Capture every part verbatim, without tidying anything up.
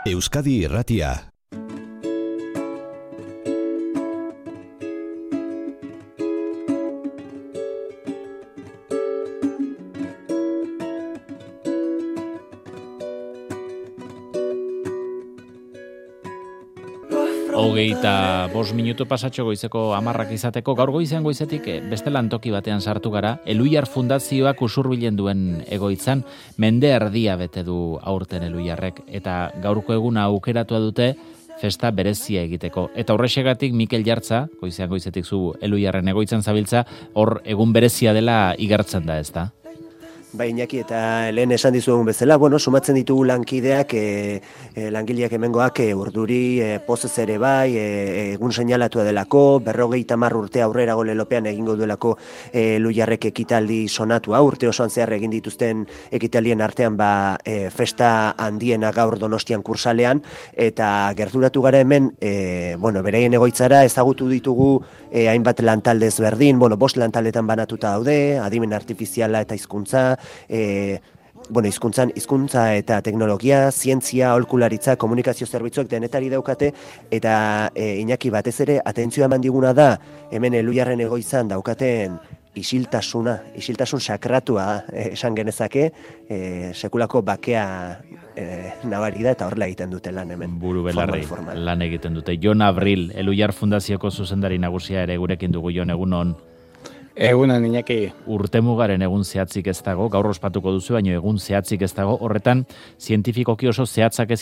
Euskadi Irratia. Hogeita bost minutu pasatxo goizeko hamarrak izateko, gaur goizean goizetik beste lantoki batean sartu gara, Eluiar Fundazioak usurbilen duen egoitzan, mende erdia bete du aurten Eluiarrek, eta gaurko eguna aukeratua dute festa berezia egiteko. Eta horrexegatik Mikel Jartza, goizean goizetik zu Eluiarren egoitzan zabiltza, hor egun berezia dela igartzen da, ezta? Bai, Iñaki, eta lehen esan dizuegun bezala, bueno, sumatzen ditugu lankideak, e, e, langileak hemengoak e, urduri, e, pozez ere bai, e, egun seinalatua delako, berrogeita hamar urte aurrerago lelopean egingo duelako e, Eluiarrek ekitaldi sonatua, urte osoan zehar egin dituzten ekitaldien artean ba, e, festa handiena gaur Donostian kursalean, eta gerturatu gara hemen, e, bueno, beraien egoitzara ezagutu ditugu e, hainbat lantalde ezberdin, bueno, bost lantaldetan banatuta daude, adimen artifiziala eta hizkuntza, E, bueno, hizkuntzan hizkuntza eta teknologia, zientzia, aholkularitza, komunikazio zerbitzuak denetari daukate, eta e, Iñaki batez ere atentzioa eman diguna da hemen Eluiarren egoitzan daukaten isiltasuna, isiltasun sakratua e, esan genezake, e, sekulako bakea e, nabari da eta horrela egiten dute lan hemen. Buru belarri lan egiten dute. Jon Abril, Eluiar Fundazioko zuzendari nagusia ere gurekin dugu. Jon, egun on. Egunan, Iñaki. Urtemugaren egun zehatzik ez dago, gaur ospatuko duzu, baino egun zehatzik ez dago, horretan zientifikoki oso zehatzak ez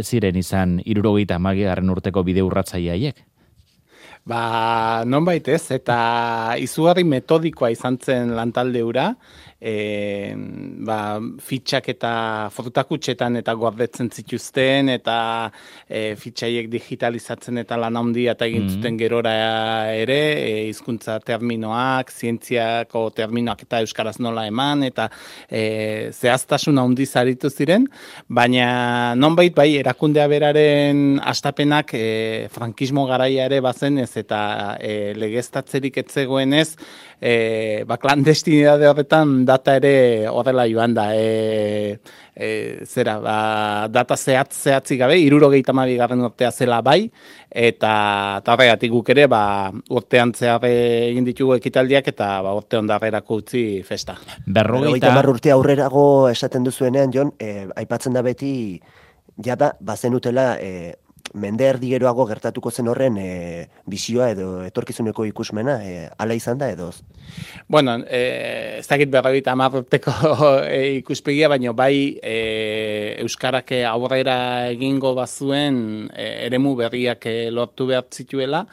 ziren izan hirurogeita hamabigarren urteko bide urratzaile haiek? Ba, nonbait ez, eta izugarri metodikoa izan zen lantalde hura, e, ba, fitxak eta fototakutxetan eta gordetzen zituzten, eta e, fitxaiek digitalizatzen eta lan handia eta egin zuten gerora ere, e, hizkuntza terminoak, zientziako terminoak eta euskaraz nola eman, eta e, zehaztasun handiz aritu ziren, baina nonbait bai erakundea beraren hastapenak e, frankismo garaia ere bazen ez, eta e, legeztatzerik etzegoenez, e, ba, klandestinidade horretan data ere horrela joan da. E, e, zera, ba, data zehatz zehatzik gabe, hirurogeita hamabigarren urtea zela bai, eta horregatik guk ere ba, urtean zehar egin ditugu ekitaldiak eta ba, urte ondarrerako utzi festa. Berrogeita hamar urte aurrerago esaten duzuenean, Jon, e, aipatzen da beti, jada, bazenutela, e, mende erdi geroago gertatuko zen horren e, bizioa edo etorkizuneko ikusmena, e, ala izan da edo? Bueno, e, ez dakit berrogeita hamar urteko e, ikuspegia, baina bai e, euskarak aurrera egingo bazuen e, eremu berriak e, lortu behar zituela,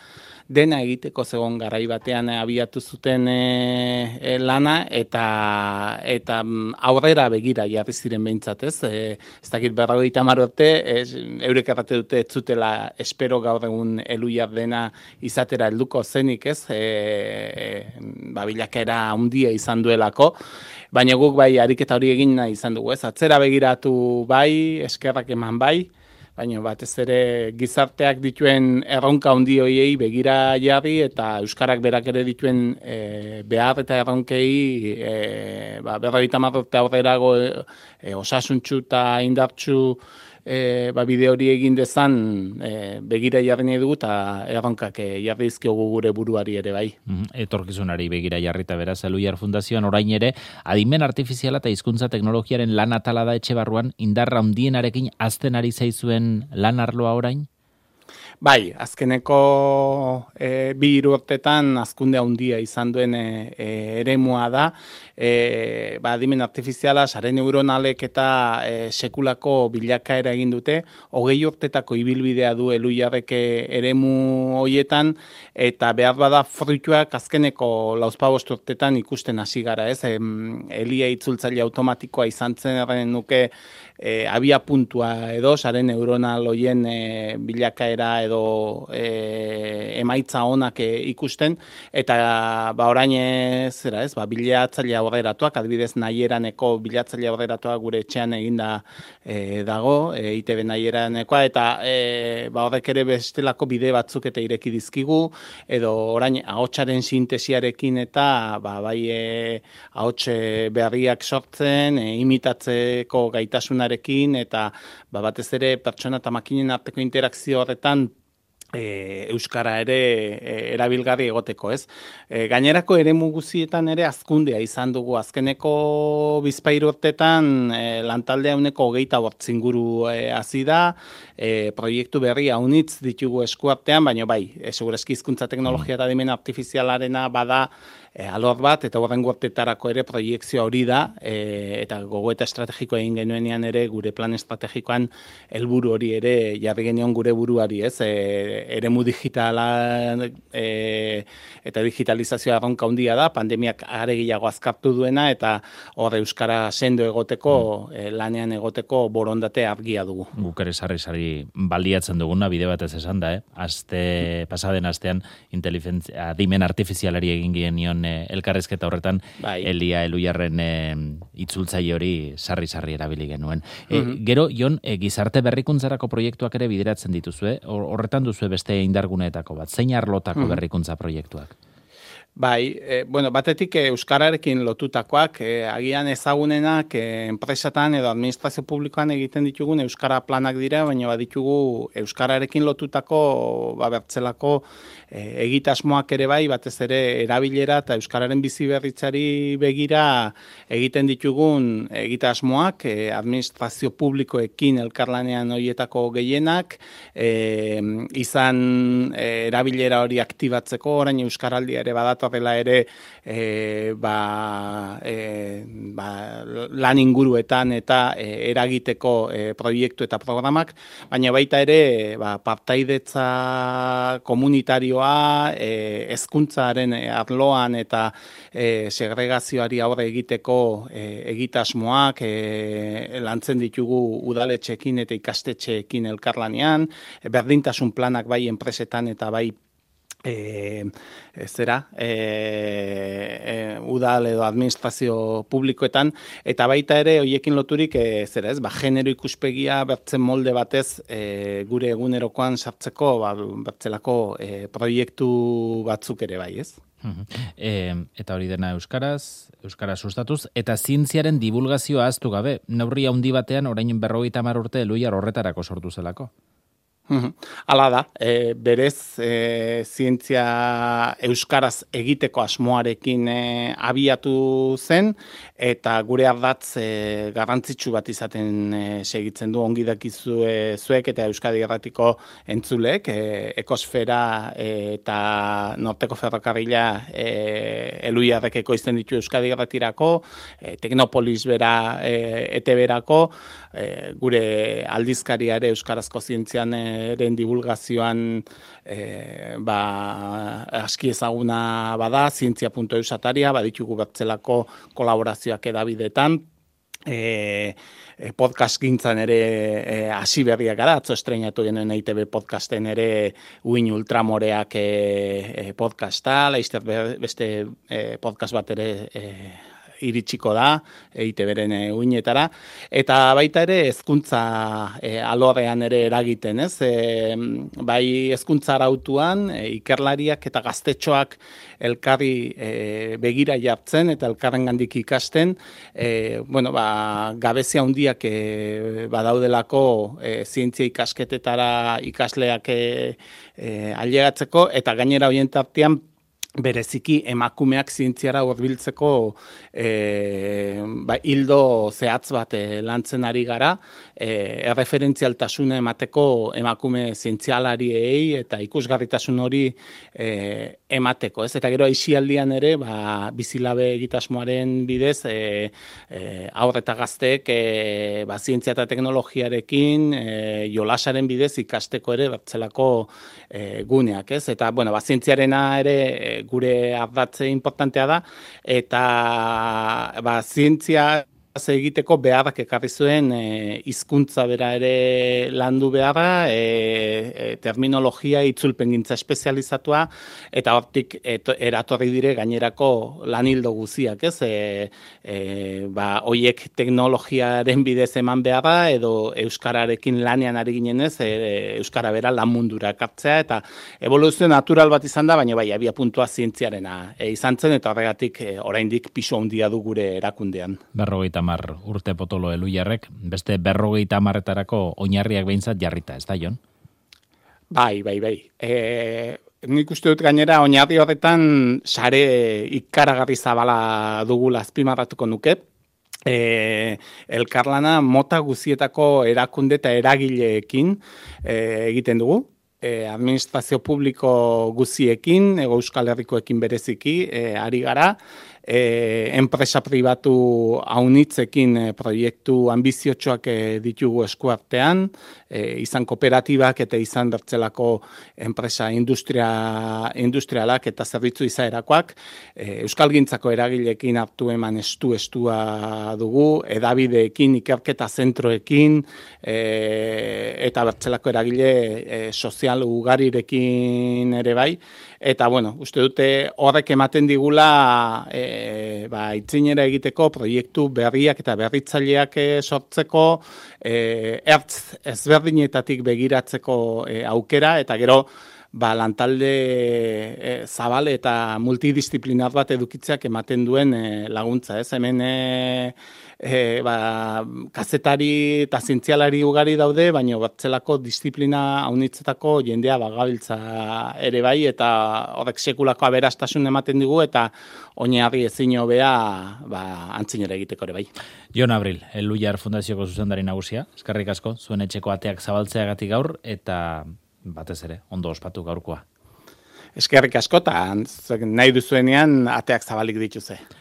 dena egiteko zegoen garai batean abiatu zuten e, e, lana eta eta aurrera begira jarri ziren behintzat, ez? E, ez dakit berrogeita hamar urte, eurek errate dute ez zutela espero gaur egun Eluiar dena izatera helduko zenik, ez? E, e, ba, bilakaera handia izan duelako, baina guk bai ariketa hori egin nahi izan dugu, ez? Atzera begiratu bai, eskerrak eman bai, baina batez ere gizarteak dituen erronka handi horiei begira jarri eta euskarak berak ere dituen e, behar eta erronkei e, ba, berrogeita hamar urte aurrerago e, osasuntsu eta indartsu e, ba, bide hori egin dezan e, begira jarri nahi dugu eta erronkak e, jarri dizkiogu gure buruari ere bai. Etorkizunari begira jarrita beraz, Eluiar Fundazioan orain ere, adimen artifiziala eta hizkuntza teknologiaren lan atala da etxe barruan, indarra handienarekin azten ari zaizuen lan arloa orain? Bai, azkeneko e, bi hiru urtetan hazkunde handia izan duen e, e, eremua da, e, ba, adimen artifiziala, sare neuronalek eta e, sekulako bilakaera egin dute, hogei urtetako ibilbidea du Eluiarrek eremu hoietan, eta behar bada fruituak azkeneko lauzpabost urtetan ikusten hasi gara, ez? E, Elia itzultzaile automatikoa izan zen nuke e, abia puntua edo, sare neuronal hoien e, bilakaera bilakaera edo e, emaitza onak e, ikusten, eta ba orain zera ez, ba, bilatzaile aurreratuak, adibidez nahieraneko bilatzaile aurreratuak gure etxean eginda e, dago, e, I T B nahieraneko, eta e, ba, horrek ere bestelako bide batzuk eta ireki dizkigu, edo orain ahotsaren sintesiarekin eta ba, bai e, ahots berriak sortzen, e, imitatzeko gaitasunarekin, eta ba, batez ere pertsona eta makinen arteko interakzio horretan E, euskara ere e, erabilgarri egoteko, ez? E, gainerako eremu guztietan ere hazkundea izan dugu. Azkeneko bizpahiru urtetan e, lantaldea uneko hogeita bortz inguru e, hasi da, e, proiektu berri haunitz ditugu eskuartean, baina bai, e, segurazki hizkuntza teknologia eta adimen artifizialarena bada E, alor bat, eta horren gortetarako ere proiektzioa hori da, e, eta gogoeta estrategikoa egin genuenean ere, gure plan estrategikoan helburu hori ere jarri genion gure buruari, ez? E, eremu digitala e, eta digitalizazioa erronka handia da, pandemiak are gehiago azkartu duena, eta hor euskara sendo egoteko, e, lanean egoteko borondate argia dugu. Guk ere sarri-sarri baliatzen duguna, bide batez esan da, eh? Aste, pasaden astean, inteligentzia, adimen artifizialari egin genion elkarrizketa horretan bai. Elia Eluiarren e, itzultzaile hori sarri-sarri erabili genuen. E, mm-hmm. Gero, Jon, e, gizarte berrikuntzarako proiektuak ere bideratzen dituzue, horretan duzue beste indarguneetako bat, zein arlotako mm-hmm. berrikuntza proiektuak? Bai, e, bueno, batetik e, euskararekin lotutakoak, e, agian ezagunenak e, enpresatan edo administrazio publikoan egiten ditugun euskara planak dira, baina baditugu euskararekin lotutako ba, bertzelako e, egitasmoak ere bai, batez ere erabilera eta euskararen bizi berritzari begira egiten ditugun egitasmoak, e, administrazio publikoekin elkarlanean horietako gehienak, e, izan e, erabilera hori aktibatzeko, orain euskaraldia ere badat horrela ere e, ba, e, ba, lan inguruetan eta e, eragiteko e, proiektu eta programak, baina baita ere ba, partaidetza komunitarioa, e, hezkuntzaren arloan eta e, segregazioari aurre egiteko e, egitasmoak e, lantzen ditugu udaletxeekin eta ikastetxeekin elkarlanean, e, berdintasun planak bai enpresetan eta bai E, zera, e, e, udal edo administrazio publikoetan, eta baita ere hoiekin loturik e, zera ez, ba, genero ikuspegia bertzen molde batez e, gure egunerokoan sartzeko ba, bertzelako e, proiektu batzuk ere bai, ez? E, eta hori dena euskaraz, euskaraz sustatuz, eta zientziaren divulgazioa ahaztu gabe, neurri handi batean orain berrogeita hamar urte Eluiar horretarako sortu zelako. Hala da, e, berez e, zientzia euskaraz egiteko asmoarekin e, abiatu zen, eta gure ardatz e, garrantzitsu bat izaten e, segitzen du ongi dakizue zuek eta Euskadi Irratiko entzulek, e, ekosfera e, eta norteko ferrokarrila e, Eluiarrek ekoizten ditu Euskadi Irratirako, e, Teknopolis bera e, E T B-erako, e, gure aldizkariare euskarazko zientzian e, eren divulgazioan e, ba, aski ezaguna bada, zientzia puntu eus ataria, baditugu bertzelako kolaborazioak edabidetan, e, podcast gintzan ere e, hasi berriak gara, atzo estrenatu genuen E I T B podcasten ere Uin Ultramoreak e, e, podcasta, laizter beste e, podcast bat ere e, iritsiko da, E I T B-ren uinetara, eta baita ere hezkuntza e, alorrean ere eragiten, ez? E, bai hezkuntza arautuan, e, ikerlariak eta gaztetxoak elkarri e, begira jartzen eta elkarrengandik ikasten, e, bueno, ba, gabezia handiak e, badaudelako e, zientzia ikasketetara ikasleak e, e, ailegatzeko, eta gainera horien tartean bereziki emakumeak zientziara hurbiltzeko e, ba, hildo zehatz bat e, lantzen ari gara, e, erreferentzialtasuna emateko emakume zientzialariei eta ikusgarritasun hori e, emateko, ez? Eta gero aisialdian ere, ba, bizilabe egitasmoaren bidez, e, e, haur eta gazteek e, ba, zientzia eta teknologiarekin e, jolasaren bidez ikasteko ere bertzelako e, guneak, ez? Eta, bueno, ba, zientziarena ere gure ardatze importantea da, eta ba, zientzia egiteko beharrak ekarri zuen e, hizkuntza bera ere landu beharra, e, e, terminologia itzulpengintza espezializatua, eta hortik et, eratorri dire gainerako lanildo guziak, ez? E, e, ba, hoiek teknologiaren bidez eman beharra, edo euskararekin lanean ari ginenez, e, euskara bera lan mundura ekartzea, eta evoluzio natural bat izan da, baina bai, abia puntua zientziarena e, izan zen, eta horregatik e, oraindik pisu handia du gure erakundean. Berrogeita hamar urte potolo Eluiarrek, beste berrogeita hamarretarako oinarriak behintzat jarrita, ez da, Jon? Bai, bai, bai. E, nik uste dut gainera oinarri horretan sare ikaragarri zabala dugula azpimarratuko nuke. E, elkarlana mota guzietako erakunde eta eragileekin e, egiten dugu. E, administrazio publiko guziekin, Hego Euskal Herrikoekin bereziki, e, ari gara, e, enpresa pribatu haunitzekin e, proiektu ambiziotsuak e, ditugu eskuartean, e, izan kooperatibak eta izan bertzelako enpresa industria, industrialak eta zerbitzu izaerakoak, e, Euskalgintzako eragileekin hartu eman estu-estua dugu, edabideekin, ikerketa zentroekin, e, eta bertzelako eragile e, sozial ugarirekin ere bai, eta bueno, uste dute horrek ematen digula e, ba, itzinera egiteko proiektu berriak eta berritzaileak e, sortzeko, e, ertz ezberdinetatik begiratzeko e, aukera, eta gero ba, lantalde e, zabal eta multidisziplinar bat edukitzeak ematen duen e, laguntza, ez? Hemen e, e, ba, kazetari eta zientzialari ugari daude, baina batzelako disiplina haunitzetako jendea bagabiltza ere bai, eta horrek sekulako aberastasun ematen digu, eta oinarri ezin hobea ba, antzinera egiteko ere bai. Jon Abril, Eluiar Fundazioko zuzendari nagusia, eskerrik asko, zuen etxeko ateak zabaltzeagatik gaur, eta batez ere, ondo ospatu gaurkoa. Eskerrik asko, eta nahi duzuenean ateak zabalik dituze.